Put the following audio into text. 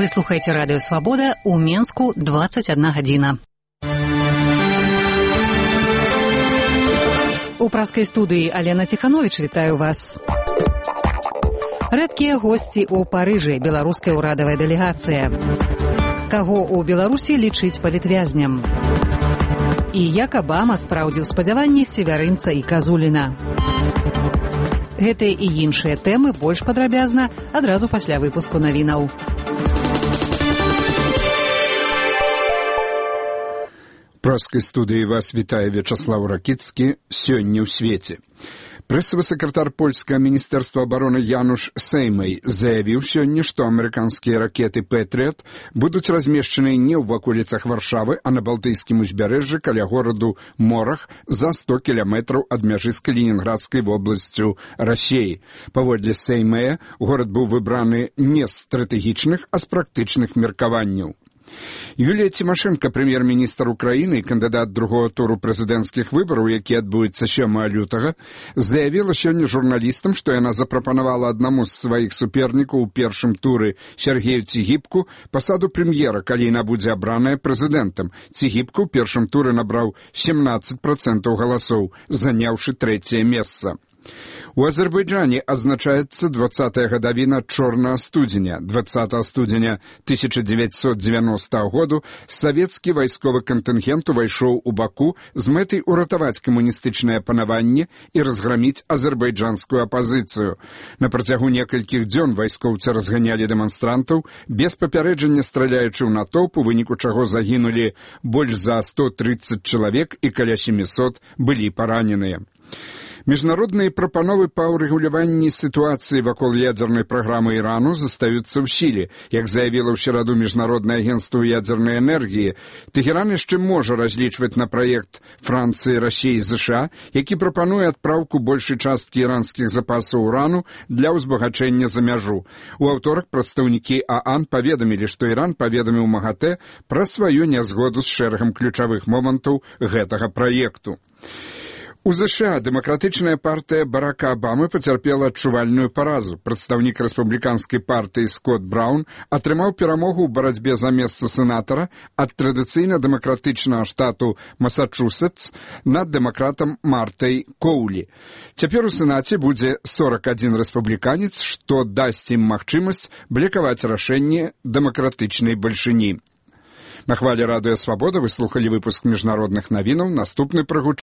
Вы слухаеце радыё Свабода, у Менску 21 гадзіна. У праскай студыі Алена Ціхановіч вітаю вас. Рэдкія госці ў Парыжы, беларуская ўрадавая дэлегацыя. Каго ў Беларусі лічыць палітвязням? І як Абама спраўдзіў спадзяванні севярынца і Казуліна. Гэтыя і іншыя тэмы больш падрабязна адразу пасля выпуску навінаў. Праскай студыі вас вітае Вячаслаў Ракіцкі. Сёння ў свеце. Прэсавы сакратар польскага міністэрства абароны Януш Сеймай заявіў сёння, што амерыканскія ракеты «Пэтрыят» будуць размешчаны не ў ваколіцах Варшавы, а на Балтыйскім узбярэжжы каля гораду Морах за 100 кіламетраў ад мяжы з Калінінградскай вобласцю Расіі. Паводле Сеймая, горад быў выбраны не з стратэгічных, а з практычных меркаванняў. Юлія Цімашэнка, прэм'ер-міністр Украіны і кандыдат другого туру прэзідэнцкіх выбараў, які адбудуцца 7 лютага, заявіла сёння журналістам, што яна запрапанавала аднаму з сваіх супернікаў у першым туры Сергею Цігіпку пасаду прэм'ера, калі яна будзе абраная прэзідэнтам. Цігіпку ў першым туры набраў 17% галасоў, заняўшы 3-е месца. У Азербайджане адзначаецца 20-я гадавіна чорнага студзеня. 20 студзеня 1990 году савецкі вайсковы кантынгент увайшоў у Баку з мэтай уратаваць камуністычнае панаванне і разграміць азербайджанскую апазіцыю. На працягу некалькіх дзён вайскоўцы разганялі дэманстрантаў, без папярэджання страляючы ў натоўп, у выніку чаго загінулі больш за 130 чалавек і каля 700 былі параненыя. Міжнародныя прапановы па ўрэгуляванні сітуацыі вакол ядзернай праграмы Ірану застаюцца ў сіле. Як заявіла ў сераду Міжнароднае агенцтва ядзернай энергіі, Тэхеран яшчэ можа разлічваць на праект Францыі, Расіі і ЗША, які прапануе адпраўку большай часткі іранскіх запасаў урану для ўзбагачэння за мяжу. У аўторак прадстаўнікі ААН паведамілі, што Іран паведаміў МАГАТЭ пра сваю нязгоду з шэрагам ключавых момантаў гэтага праекту. У ЗША дэмакратычная партыя Барака Абамы пацярпела адчувальную паразу. Прадстаўнік рэспубліканскай партыі Скотт Браўн атрымаў перамогу ў барацьбе за месца сенатара ад традыцыйна дэмакратычнага штату Масачусетс над дэмакратам Мартай Коулі. Цяпер у Сенаце будзе 41 рэспубліканец, што дасць ім магчымасць блакаваць рашэнне дэмакратычнай бальшыні. На хвалі радыё Свабода вы слухалі выпуск міжнародных навінаў. Наступны прагучыць